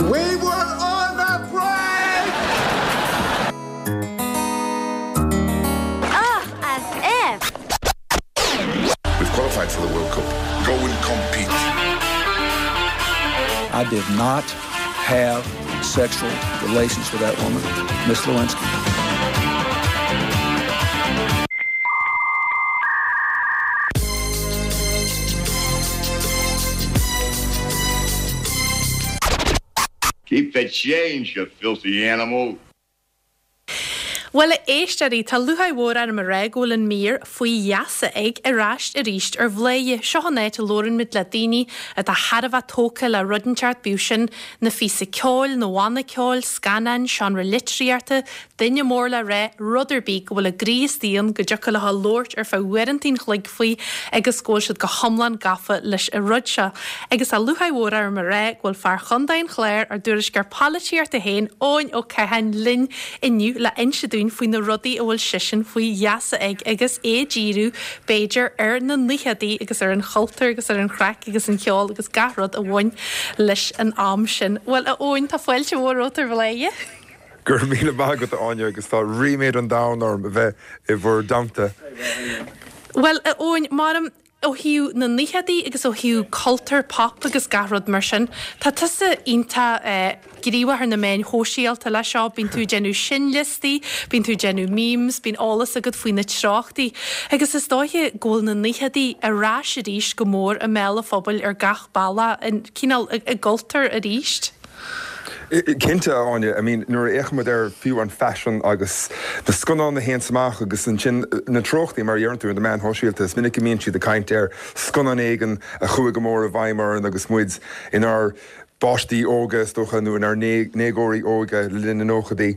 We were on a break! Ah, as if! We've qualified for the World Cup. Go and compete. I did not have sexual relations with that woman, Miss Lewinsky. Keep the change, you filthy animal. Bhuel, a éisteoirí, tá lúcháir mhór orm a rá go bhfuil an mír Faoi Gheasa Ag ar ais arís ar Bhladhaire. Seo an áit a labhrann muid le daoine atá thar a bheith tógtha le rud inteacht, bíodh sin 'na phíosa ceoil, nó banna ceoil, scannáin, seánra litríochta, duine mór le rá, rud ar bith go bhfuil a gcroí istigh ann, go dtiocfadh leo labhairt ar feadh uaireanta an chloig faoi agus go bhfuil siad go hiomlán gafa leis an rud seo. Agus tá lúcháir mhór orm a rá go bhfuil fear Chontae an Chláir, ár dtuairisceoir polaitíochta féin, Eoin Ó Catháin, linn inniu le inse dúinn faoi na rudaí a bhfuil seisean faoi gheasa ag agus é ag díriú, b'fhéidir, ar na naochadaí agus ar an chultúr agus ar an chraic agus an cheol agus gach rud a bhain leis an am sin. Bhuel, a Eoin, tá fáilte mhór romhat ar Bhladhaire. Go raibh míle maith agat, a Áine, agus tá ríméad an domhain orm a bheith i bhur dteannta. Bhuel, a Eoin, maram, ó thaobh na naochadaí agus ó thaobh cultúr pop agus gach rud mar sin, tá tusa iontach gníomhach ar na meáin shóisialta leis seo, bíonn tú ag déanamh seinnliostaí, bíonn tú ag déanamh memes, bíonn eolas agat faoi na treochtaí agus is dóiche go bhfuil na naochadaí ar ais arís go mór i mbéal an phobail ar gach bealach, cineál i gcultúr arís. Cinnte, a Áine. I mean, nuair a fhéachaimid ar fiú an faisean agus na scannáin a théanns amach agus ansin na treochtaí, mar a deireann tú, ar na meáin shóisialta, is minic go mbíonn siad ag caint ar scannán éigin a chuaigh go mór i bhfeidhm orainn agus muid inár bpáistí óga, is dócha, nó inár ndéagóirí óga le linn na nóchaidí.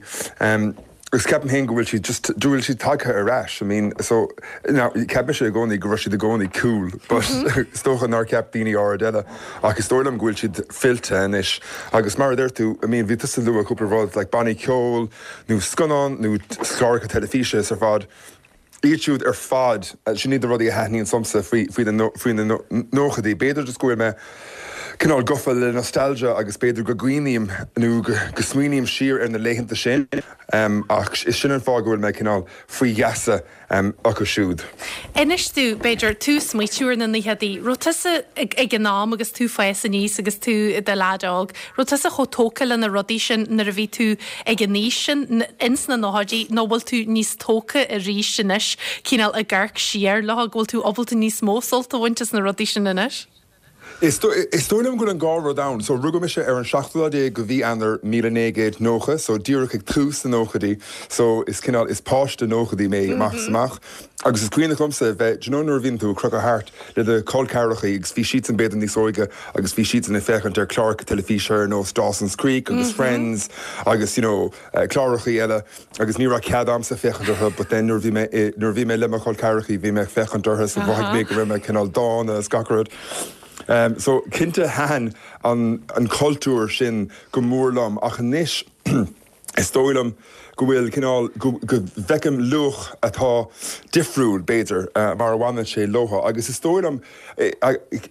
Agus ceapaim féin go bhfuil siad just, go bhfuil siad tagtha ar ais. I mean, so, now, cheap mise i gcónaí go raibh siad i gcónaí cool, but is dócha nár cheap daoine áirid eile. Ach is dóigh liom go bhfuil siad fillte anois. Agus mar a deir tú, I mean, bhí tusa ag lua cúpla rud, like bannaí ceoil, nó scannán, nó cláracha teilifíse is ar fad. Iad siúd ar fad, sin iad na rudaí a thaitníonn liomsa faoi, faoi na, faoi na nóchaidí. B'fhéidir just go bhfuil mé cineál gafa le nostalgia agus b'fhéidir go gcuimhním nó go, go smaoiním siar ar na laethanta sin ach is sin an fáth go bhfuil mé cineál faoi gheasa acu siúd. Inis domh, b'fhéidir, tú ag smaoitiú ar na naochadaí, raibh tusa ag an am agus tú ag fás aníos agus tú i do leaid óg, Raibh tusa chomh tógtha le na rudaí sin nuair a bhí tú ag an aois sin, ins na nóchaidí, nó bhfuil tú níos tógtha arís anois, cineál ag amharc siar leo, go bhfuil tú ábalta níos mó sult a bhaint as na rudaí sin anois? Is dóigh liom go bhfuil an dhá rud ann. So rugadh mise ar an seachtú lá déag de mhí Eanáir 1990, so díreach ag tús na nóchaidí, so is cineál, is páiste nóchaidí mé amach is amach. Agus is cuimhneach liomsa a bheith, do you know nuair a bhíonn tú ag crochadh thart le do chol ceathrachaí agus bhí siadsan b'fhéidir níos óige agus bhí siadsan ag féachaint ar chláracha teilifíse ar nós Dawson's Creek agus Friends agus you know clárachaí eile agus ní raibh cead a'msa féachaint orthu but then nuair a bhí mé i, nuair a bhí mé le mo chol ceathrachaí bhí mé ag féachaint orthu so mhothaigh mé go raibh mé cineál dána is gach rud. So cinnte thaitin an, an cultúr sin go mór liom ach anois Is dóigh liom go bhfuil cineál, go bhfeicim luach atá difriúil, b'fhéidir, mar a bhaineann sé leo. Agus is dóigh liom,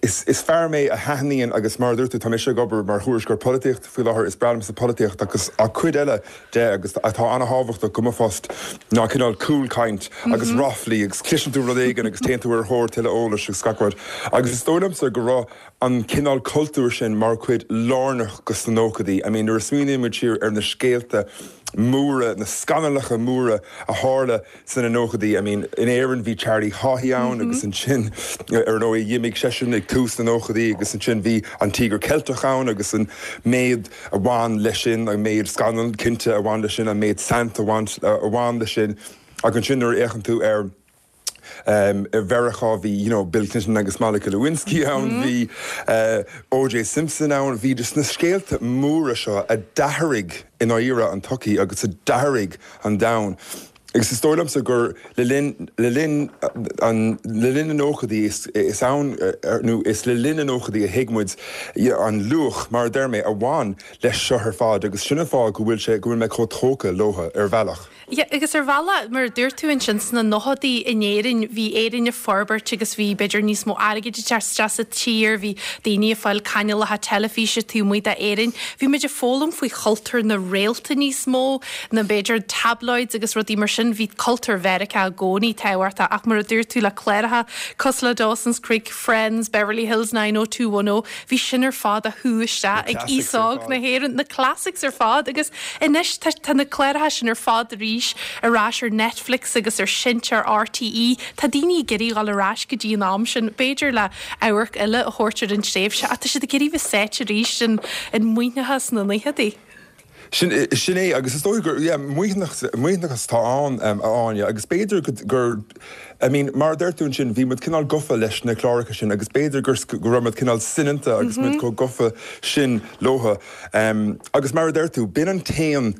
is fear mé a thaitníonn agus mar a dúirt tú, tá mise ag obair mar thuairisceoir polaitíochta faoi láthair, is breá liomsa polaitíocht agus ach cuid eile de agus atá an-thábhachtach do mo phost ná cineál cúlchaint agus ráflaí agus cloiseann tú rud éigin agus téann tú ar thóir tuilleadh eolais agus gach rud. Agus is dóigh liomsa go raibh an cineál cultúir sin mar chuid lárnach de sna nóchaidí. I mean nuair a smaoiníonn muid siar ar na scéalta móra, na scannalacha móra a tharla sna nóchaidí, I mean in Éirinn bhí Charlie Haughey ann agus ansin ar ndóigh d'imigh seisean ag tús na nóchaidí agus ansin bhí an Tíogar Ceilteach ann agus an méid a bhain leis sin, an méid scannal cinnte a bhain leis sin, an méid saint a bhain leis sin ach ansin nuair a fhéachann tú ar I Mheiriceá bhí you know Bill Clinton agus Monica Lewinsky ann, bhí O.J. Simpson ann, bhí just na scéalta móra seo a d'athraigh i ndáiríre an tsochaí agus a d'athraigh an domhan. Agus is dóigh liomsa gur le linn, le linn an, le linn na nóchaidí is, is ann, nó is le linn na nóchaidí a thuig muid an luach, mar a deir mé, a bhain leis seo ar fad agus sin an fáth go bhfuil sé, go bhfuil mé chomh tógtha leotha, ar bhealach. Yeah, agus ar bhealach, mar a dúirt tú ansin, sna nóchaidí in Éirinn, bhí Éirinn ag forbairt agus bhí, b'fhéidir, níos mó airgid ag teacht isteach sa tír, bhí daoine ag fáil cainéalacha teilifíse taobh amuigh d'Éirinn. Bhí muid ag foghlaim faoi chultúr na réalta níos mó ná b'fhéidir tabloids agus rudaí mar sin. Bhí cultúr Mheiriceá i gcónaí tábhachtach ach mar a dúirt tú le cláracha cosúil le Dawson's Creek, Friends, Beverly Hills 90210, bhí sin ar fad á shú isteach ag aos óg na hÉireann, na classics ar fad agus anois tá tá na cláracha sin ar fad arís ar ais ar Netflix agus ar seinnteoir RTÉ. Tá daoine ag iarraidh dhul ar ais go dtí an am sin, b'fhéidir le amharc eile a thabhairt ar an tréimhse ach tá siad ag iarraidh bheith sáite arís in in maoithneachas na naochadaí. Sin, sin é, agus is dóigh gur, yeah, maoithneachas, maoithneachas atá ann, a Áine, agus b'fhéidir go, gur, I mean, mar a deir tú ansin, bhí muid cineál gofa leis na cláracha sin agus b'fhéidir gur, go raibh muid cineál soineanta agus muid chomh gofa sin leotha. Agus mar a deir tú, b'in an t-aon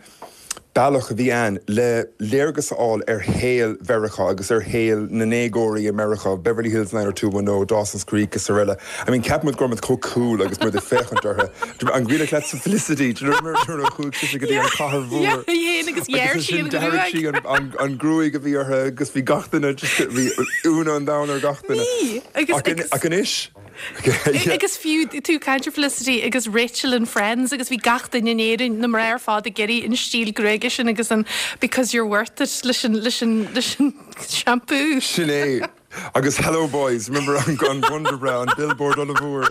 bealach a bhí ann le léargas a fháil ar shaol Mheiriceá agus ar shaol na ndéagóirí i Meiriceá, Beverly Hills 90210, Dawson's Creek is araile. I mean, cheap muid go raibh muid chomh cool agus muid ag féachaint orthu. An cuimhin leatsa Felicity, do you remember nuair a chuaigh sise go dtí an chathair mhór? Yeah, yeah, agus ghearr sí an gruaig. D'athraigh sí an gruaig a bhí uirthi agus bhí gach duine just, bhí ionadh an domhain ar gach duine. Bhí, agus, Ach anois, Agus fiú tú ag caint ar Felicity agus Rachel in Friends agus bhí gach duine in Éirinn, na mná ar fad ag iarraidh an stíl gruaige sin agus an because you're worth it leis an, leis an, leis an shampoo. Sin é. Agus Hello Boys, remember an, an Wonderbra, an billboard ollmhór.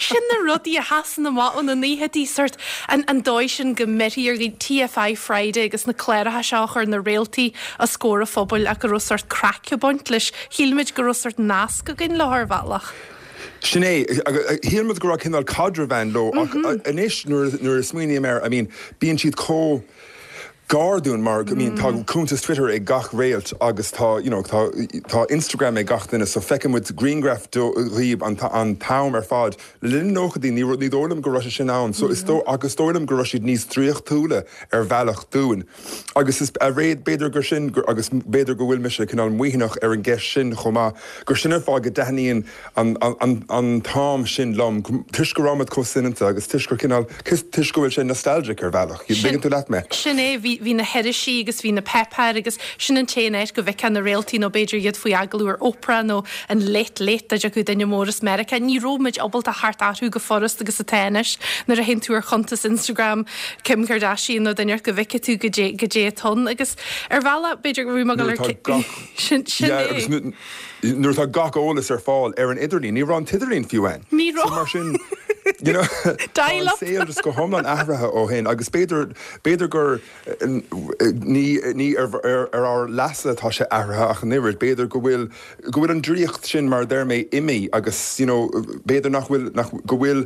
Sin na rudaí a sheasann amach ó na naochadaí, sort an, an dóigh sin go mbeirthí ar dhaoine, TFI Friday agus na cláracha seo a chuir na réaltaí os comhair an phobail ach go raibh sort craic ag baint leis. Shíl muid go raibh sort nasc againn leo ar bhealach. Sin é. Shíl muid go raibh cineál caidreamh ann leo ach anois nuair a smaoiním air, I mean, bíonn siad chomh gar dúinn mar, I mean, tá cuntas Twitter ag gach réalt agus tá, you know, tá, tá Instagram ag gach duine so feiceann muid grianghraif díobh an t-am ar fad. Le linn na nóchaidí ní, ní dóigh liom go raibh sé sin ann so is dóigh, agus is dóigh liom go raibh siad níos draíochtúla ar bhealach dúinn. Agus is b'fhéidir gur sin, agus b'fhéidir go bhfuil mise cineál maoithneach ar an gceist sin chomh maith, gur sin an fáth go dtaitníonn an t-am sin liom, toisc go raibh muid chomh soineanta agus toisc gur cineál, toisc go bhfuil sé nostalgic ar bhealach. An dtuigeann tú leat mé? Sin é, bhí na hirisí agus bhí na páipéir agus sin an t-aon áit go bhfeicfeá na réaltaí nó b'fhéidir iad faoi agallamh ar Oprah nó an Late Late dá dtiocfadh duine mór as Meiriceá. Ní raibh muid ábalta theacht orthu chomh furast agus atá anois nuair a théann tú ar chuntas Instagram Kim Kardashian nó duine go bhfeicfidh tú goidé goidé atá ann agus ar bhealach b'fhéidir go raibh mé ag dul ar sin sin yeah, agus é. nuair atá gach eolas ar fáil ar an idirlíon, ní raibh an t-idirlíon fiú ann. Ní So raibh. mar sin, you know, tá an Dial up. saol just go hiomlán athraithe ó shin agus b'fhéidir, b'fhéidir gur ní, ní ar, ar, ar ár leasa atá sé athraithe ach an oiread, b'fhéidir go bhfuil, go bhfuil an draíocht sin, mar a deir mé, imithe agus, you know, b'fhéidir nach bhfuil, nach, go bhfuil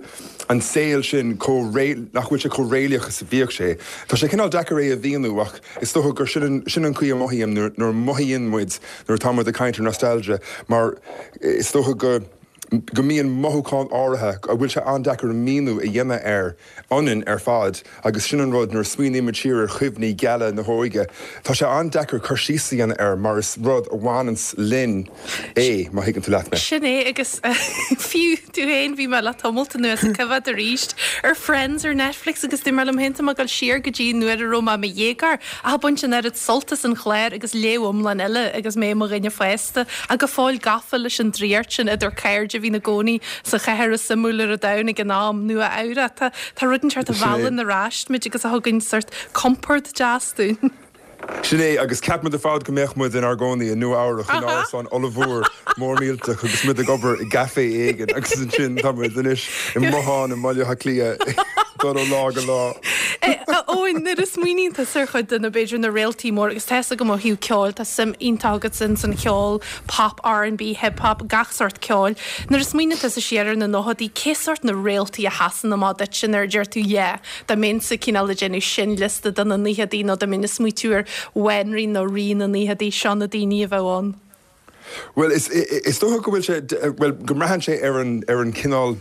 an saol sin chomh ré, nach bhfuil sé chomh réalaíoch is a bhíodh sé. Tá sé cineál deacair é a mhíniú ach is dócha gur sin an, sin an chaoi a mothaím nuair, nuair a mothaíonn muid nuair atá muid ag caint ar nostalgia mar is dócha go, go mbíonn mothúchán áirithe a bhfuil sé an-deacair míniú a dhéanamh air ionainn ar fad agus sin an rud nuair a smaoinímid siar ar chuimhní geala na hóige, tá sé an-deacair cur síos a dhéanamh air mar is rud a bhaineanns linn é, má thuigeann tú leat mé. Sin é agus fiú tú féin, bhí mé le tamalt anuas ag coimhéad arís ar Friends ar Netflix agus dúirt mé liom féin tá mé ag dul siar go dtí nuair a raibh mé i mo dhéagóir ach ag baint an oiread sult as an chlár agus léamh iomlán eile agus mé i mo dhuine fásta ach go fóill gafa leis an draíocht sin idir cairde a bhí ina gcónaí sa chathair is suimiúla ar an domhan ag an am, Nua Eabhrac. Tá tá rud inteacht a Sin é. mheallann ar ais muid agus a thugann sort compord deas dúinn. Sin é, agus cheap muid ar fad go mbeadh muid inár gcónaí i Nua Eabhrac in Aha. árasán ollmhór mór millteach agus muid ag obair i gcaifé éigin agus ansin tá muid anois i mbothán i mBaile Átha Cliath ag dul ó lá go lá. A Eoin, nuair a smaoiníonn tusa ar chuid de na, b'fhéidir, na réaltaí móra, agus tá 'fhios agam ó thaobh ceoil, tá suim iontach agat ins an cheol, pop, R&B, hip hop, gach sórt ceoil. Nuair a smaoiníonn tusa siar ar na nóchaidí, cé sórt na réaltaí a sheasann amach duitse nuair a deir tú yeah, dá mbeinnse cineál ag déanamh seinnliosta do na naochadaí nó dá mbeinn ag smaoitiú ar bhanríon nó rí na naochadaí, seo na daoine a bheadh ann. Bhuel, is, is dócha go bhfuil sé, bhuel, go mbraitheann sé ar an, ar an cineál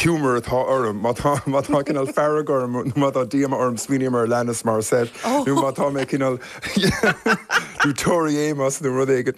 humour atá orm. Má tá, má tá cineál fearg orm nó má tá díoma orm, smaoiním ar Alanis Morissette. Oh. Nó má tá mé cineál. nó Tori Amos nó rud éigin.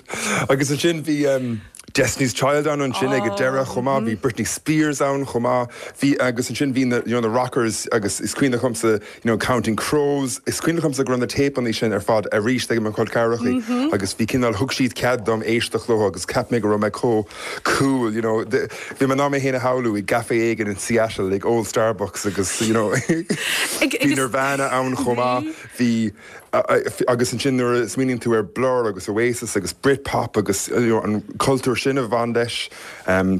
Agus ansin bhí Destiny's Child ann ansin ag an deireadh chomh maith, bhí Britney Spears ann chomh maith, bhí, agus ansin bhí na, you know, na rockers agus is cuimhin liomsa, you know, Counting Crows, is cuimhin liomsa go raibh na téipeanna sin ar fad arís ag mo chol ceathrachaí agus bhí cineál, thug siad cead dom éisteacht leo agus cheap mé go raibh mé chomh cool, you know, bhí mé in ann mé féin a shamhlú i gcaife éigin in Seattle ag ól Starbucks agus, you know, bhí Nirvana ann chomh maith, bhí. Agus ansin nuair a smaoiníonn tú ar Blur agus Oasis agus Britpop agus you know an cultúr sin a bhain leis,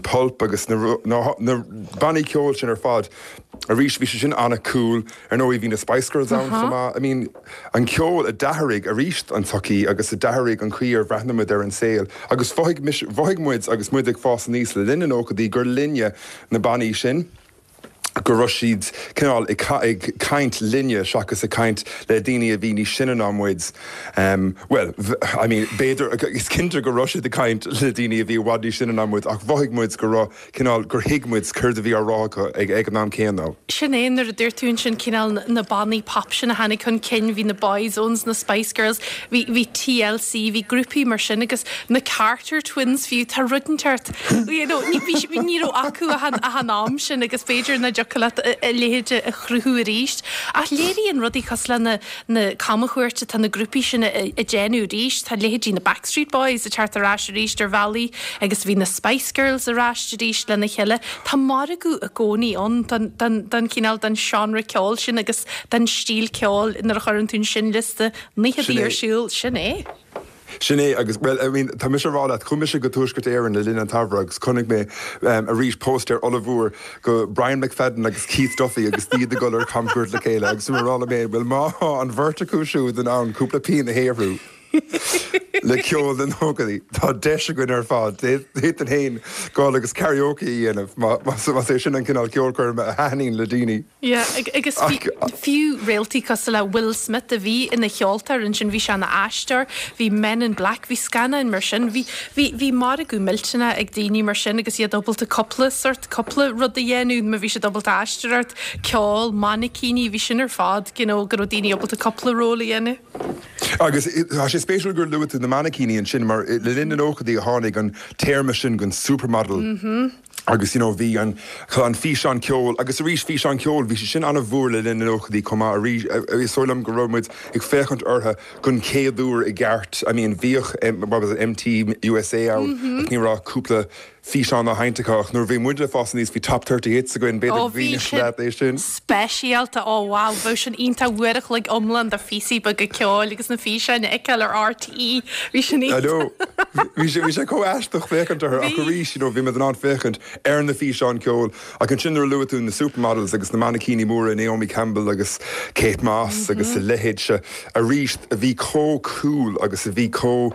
Pulp agus na na bannaí ceoil sin ar fad, arís bhí sé sin an-cool. Ar ndóigh bhí na Spice Girls ann chomh maith. I mean an ceol a d'athraigh arís an tsochaí agus a d'athraigh an chaoi ar bhreathnaigh muid ar an saol agus mhothaigh mise, mhothaigh muid agus muid ag fás aníos le linn na nóchaidí gur linne na bannaí sin. go raibh siad cineál ag caint linne seachas ag caint le daoine a bhí níos sine ná muid. Bhuel, I mean, b'fhéidir, is cinnte go raibh siad ag caint le daoine a bhí i bhfad níos sine ná muid ach mhothaigh muid go raibh cineál, gur thuig muid céard a bhí á rá acu ag an am céanna. Sin é, nuair a dúirt tú ansin cineál na bannaí pop sin a tháinig chun cinn, bhí na Boyzones, na Spice Girls, bhí, bhí TLC, bhí grúpaí mar sin agus na Carter Twins fiú, tá rud inteacht. You know, ní bhí sí, ní raibh acu ach an, ach an am sin agus b'fhéidir nach dtiocfadh leat a leithéid a chruthú arís. Ach léiríonn rudaí cosúil le na, na camchuairt atá na grúpaí sin a, a déanamh arís, tá leithéidí na Backstreet Boys ag teacht ar ais arís ar bhealaí agus bhí na Spice Girls ar ais arís lena chéile. Tá margadh i gcónaí ann don, don, don chineál, don seánra ceoil sin agus don stíl ceoil nuair a chuireann tú an seinnliosta naochadaí ar siúl, sin é. Sin é, agus, bhuel, I mean, tá mise a rá leat, chuaigh mise go Tuaisceart Éireann le linn an tsamhraidh agus chonaic mé arís póstaer ollmhór go Brian McFadden agus Keith Duffy agus iad ag dul ar camchuairt le chéile agus bhí mé a rá liom féin, bhuel, má tá an bheirt acu siúd in ann cúpla pian a shaothrú le ceol na nóchaidí, tá deis againn ar fad, d'fhéadfainn féin dul agus karaoke a dhéanamh más é sin an cineál ceolchoirme a thaitníonn le daoine. Yeah, agus fiú réaltaí cosúil le Will Smith a bhí ina cheoltóir ansin, bhí sé ina aisteoir, bhí Men in Black, bhí scannáin mar sin, bhí, bhí, bhí margadh millteanach ag daoine mar sin agus iad ábalta cúpla sort, cúpla rud a dhéanamh, má bhí siad ábalta aisteoireacht, ceol, mainicíní, bhí sin ar fad, you know, go raibh daoine ábalta cúpla ról a dhéanamh. Agus tá sé spéisiúil gur luaigh tú na mainicíní ansin mar le linn na nóchaidí a tháinig an téarma sin den supermodel. Agus you know bhí an an físeán ceoil agus arís físeán ceoil bhí sé sin an-mhór le linn na nóchaidí chomh maith arís is dóigh liom go raibh muid ag féachaint orthu don chéad uair i gceart I mean bhíodh what was it MTV USA ann ach ní raibh cúpla físeán á sheinnt acu ach nuair a bhí muid ag fás aníos bhí Top 30 Hits againn b'fhéidir Ó go bhí gcuimhneodh sin leat é sin. speisialta ó wow bheadh sin iontach uair a chloig iomlán de phíosaí beaga ceoil agus na físeáin a fheiceáil ar RTÉ. Bhí sin I know. Bhí sé bhí sé chomh aisteach féachaint orthu ach Bhí. arís you know bhí muid in ann féachaint ar na físeáin ceoil ach ansin nuair a luaigh tú na supermodels agus na mainicíní móra Naomi Campbell agus Kate Moss agus a leithéid seo arís a bhí chomh cool agus a bhí chomh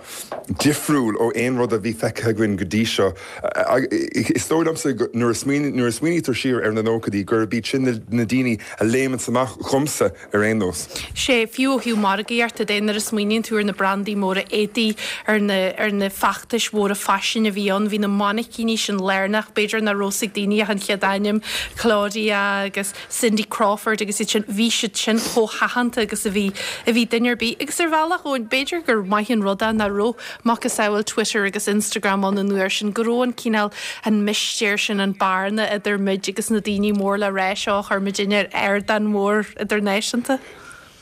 difriúil ó aon rud a bhí feicthe againn go dtí seo. Is dóigh liomsa nuair a nuair a smaoinítear siar ar na nóchaidí gurb iad sin na daoine a léimeanns amach dhomsa ar aon nós. Sea, fiú ó thaobh margaíochta de, nuair a smaoiníonn tú ar na brandaí móra éadaí, ar na, ar na feachtais mhóra faisin a bhí ann, bhí na mainicíní sin lárnach, b'fhéidir nach raibh 's ag daoine ach an chéad ainm, Claudia agus Cindy Crawford agus iad sin, bhí siad sin chomh haitheanta agus a bhí, a bhí duine ar bith. Agus ar bhealach, Eoin, b'fhéidir gur maith an rud é nach raibh macasamhail Twitter agus Instagram ann an uair sin, go raibh an cineál, an mistéir sin, an bearna idir muid agus na daoine mór le rá seo a chuir muidinne ar ardán mór idirnáisiúnta.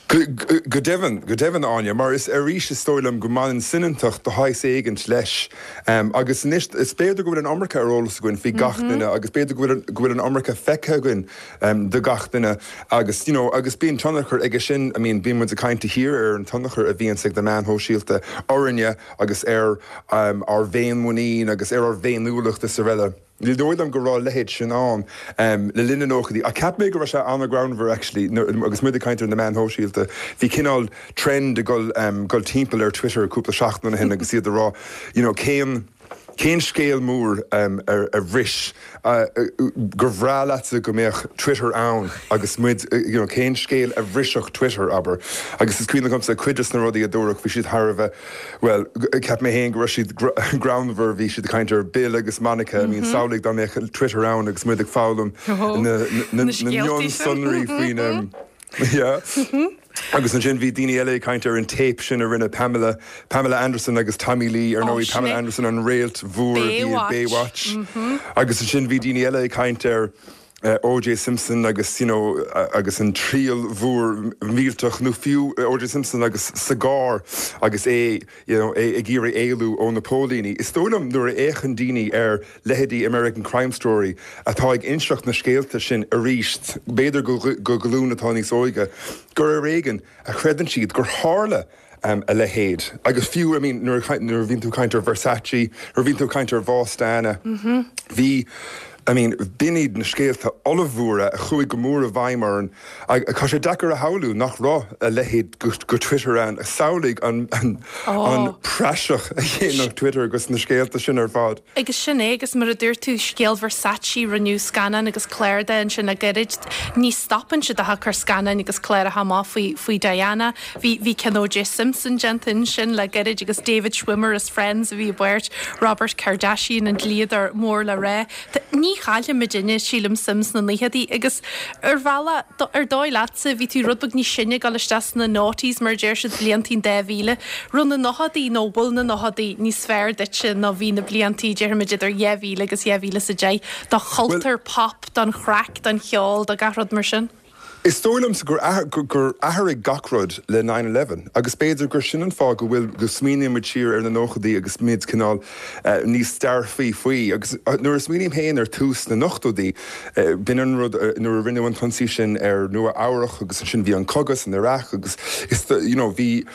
Go deimhin, go deimhin, Áine, mar is arís is dóigh liom go mbaineann soineantacht de shaghas éigint leis. Agus anois, is b'fhéidir go bhfuil an iomarca ar eolas againn faoi gach duine agus b'fhéidir go bhfuil, go bhfuil an iomarca feicthe againn de gach duine agus, you know, agus bíonn tionchar aige sin, I mean, bíonn muid ag caint de shíor ar an tionchar a bhíonns ag na meáin shóisialta orainne agus ar ár bhféinmhuinín agus ar ár bhféiniúlacht is araile. Ní dóigh liom go raibh a leithéid sin ann le linn na nóchaidí ach cheap mé go raibh sé an-ghreannmhar actually agus muid ag caint ar na meáin shóisialta. Bhí cineál trend ag dul dul timpeall ar Twitter cúpla seachtain ó shin agus iad ag rá you know cén cén scéal mór a bhris gur bhreá leatsa go mbeadh Twitter ann agus muid you know cén scéal a bhrisfeadh Twitter abair agus is cuimhin liomsa cuid des na rudaí a dúradh bhí siad thar a bheith Bhuel, cheap mé féin go raibh siad greannmhar, bhí siad ag caint ar Bill agus Monica, I mean samhlaigh dá mbeadh Twitter ann agus muid ag foghlaim na mionsonraí faoi na. Yeah. Agus ansin bhí daoine eile ag caint ar an téip sin a rinne Pamela, Pamela Anderson agus Tommy Lee, ar ndóigh Pamela Anderson an réalt mhór a bhí i Baywatch. Agus ansin bhí daoine eile ag caint ar O.J. Simpson agus you know agus an triail mhór mhillteach nó fiú O.J. Simpson agus cigar agus é you know é ag iarraidh éalú ó na póilíní. Is dóigh liom nuair a fhéachann daoine ar leithéidí American Crime Story atá ag inseacht na scéalta sin arís, b'fhéidir go glúin atá níos óige, gur ar éigean a chreideann siad gur tharla a leithéid. Agus fiú, I mean, nuair a bhíonn tú ag caint ar Versace, nuair a bhíonn tú ag caint ar bhás Diana, bhí, I mean, b'in iad na scéalta ollmhóra a chuaigh go mór i bhfeidhm orainn. Tá sé deacair a shamhlú nach raibh a leithéid go Twitter ann. Samhlaigh an praiseach a dhéanfadh Twitter agus na scéalta sin ar fad. Agus sin é, agus mar a dúirt tú, scéal Versace, rinneadh scannán agus clár de ansin le gairid. Ní stopann siad ach ag cur scannáin agus cláracha amach faoi, faoi Diana. Bhí, bhí ceann O.J. Simpson déanta ansin le gairid agus David Schwimmer as Friends a bhí i bpáirt Robert Kardashian, an dlíodóir mór le rá. Ní chaillfidh muidinne, sílim, suim sna naochadaí agus ar bhealach, ar dóigh leatsa, bhí tú rud beag níos sine ag dul isteach sna noughties mar a deir siad, bliantaí an 2000. Raibh na nóchadaí nó bhfuil na nóchadaí níos fearr duitse ná bhí na bliantaí, déarfaimid idir 2000 agus 2010, do chultúr pop, don chraic, don cheol, do gach rud mar sin? Is dóigh liomsa gur gur athraigh gach rud le nine eleven agus b'fhéidir gur sin an fáth go bhfuil go smaoiníonn muid siar ar na nóchaidí agus muid cineál níos dearfaí faoi. Agus nuair a smaoiním féin ar tús na n-ochtóidí, b'in an rud nuair a rinneadh an t-ionsaí sin ar Nua Eabhrach agus ansin bhí an cogadh san Iraq agus is you know bhí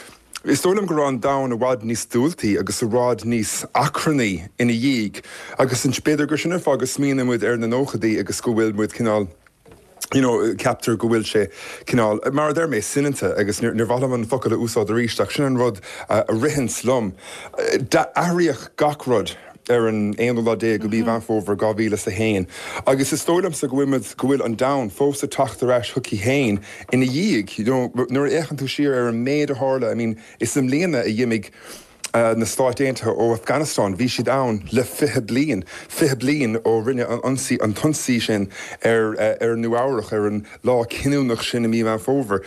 Is dóigh liom go raibh an domhan i bhfad níos diúltaí agus i bhfad níos achrannaí ina dhiaidh agus b'fhéidir gur sin an fáth go smaoiníonn muid ar na nóchaidí agus go bhfuil muid cineál you know, ceaptar go bhfuil sé cineál, mar a deir mé, soineanta agus níor mhaith liom an focal a úsáid arís ach sin an rud a ritheanns liom. Athraíodh gach rud ar an aonú lá déag de mhí Mheán Fómhair 2001 agus is dóigh liomsa go bhfuil muid, go bhfuil an domhan fós ag teacht ar ais chuici féin ina dhiaidh. You know, nuair a fhéachann tú siar ar an méid a tharla, I mean, is i mbliana a d'imigh na Stáit Aontaithe ó Afghanistan, bhí siad ann le 20 bliain, 20 bliain ó rinneadh an ionsaí, an t-ionsaí sin ar ar Nua Eabhrach ar an lá cinniúnach sin i mí Mheán Fómhair.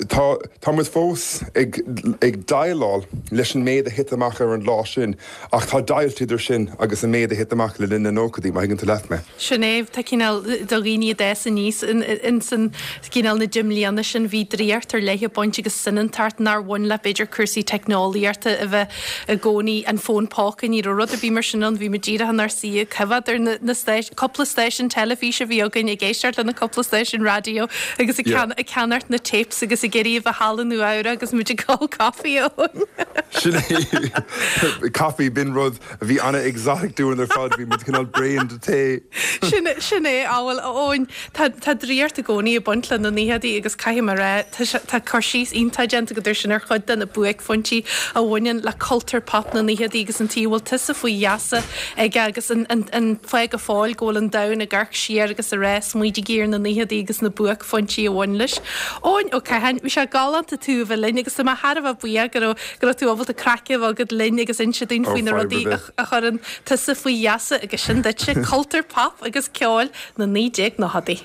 Tá, tá muid fós ag, ag déileáil leis an méid a thit amach ar an lá sin ach tá deighilt idir sin agus an méid a thit amach le linn na nóchaidí, má thuigeann tú leat mé. Sin é, tá cineál do dhaoine a d'fhás aníos ins an cineál na deich mbliana sin bhí draíocht ar leith ag baint agus soineantacht nár bhain le b'fhéidir cúrsaí teicneolaíochta a bheith i gcónaí, an fón póca, ní raibh rud ar bith mar sin ann, bhí muid díreach inár suí ag coimhéad ar na stáis, cúpla stáisiún teilifíse a bhí againn, ag éisteacht le na cúpla stáisiún raidió agus ag ag ceannacht na tapes agus ag iarraidh a bheith thall i Nua Eabhrac agus muid ag ól caife ann. Sin é, caife, b'in rud a bhí an-exotic dúinn ar fad, bhí muid cineál bréan de tae. Sin, sin é, á bhuel, a Eoin, Tá, tá draíocht i gcónaí ag baint le na naochadaí agus caithfidh mé a rá, tá sé, tá cur síos iontach déanta agat air sin ar chuid de na buaicphointí a bhaineann le cultúr pop na naochadaí agus an tuige a bhfuil tusa faoi gheasa aige agus an, an, an fáth go fóill go bhfuil an domhan ag amharc siar agus ag rá smaointígí ar na naochadaí agus na buaicphointí a bhain leis. Eoin Ó Catháin, bhí sé galánta tú a bheith linn agus tá mé thar a bheith buíoch go raibh, go raibh tú ábalta craic a bheith agat linn agus inse dúinn faoi na rudaí a, a chuireann tusa faoi gheasa agus sin duitse, cultúr pop agus ceol. na 1990idí.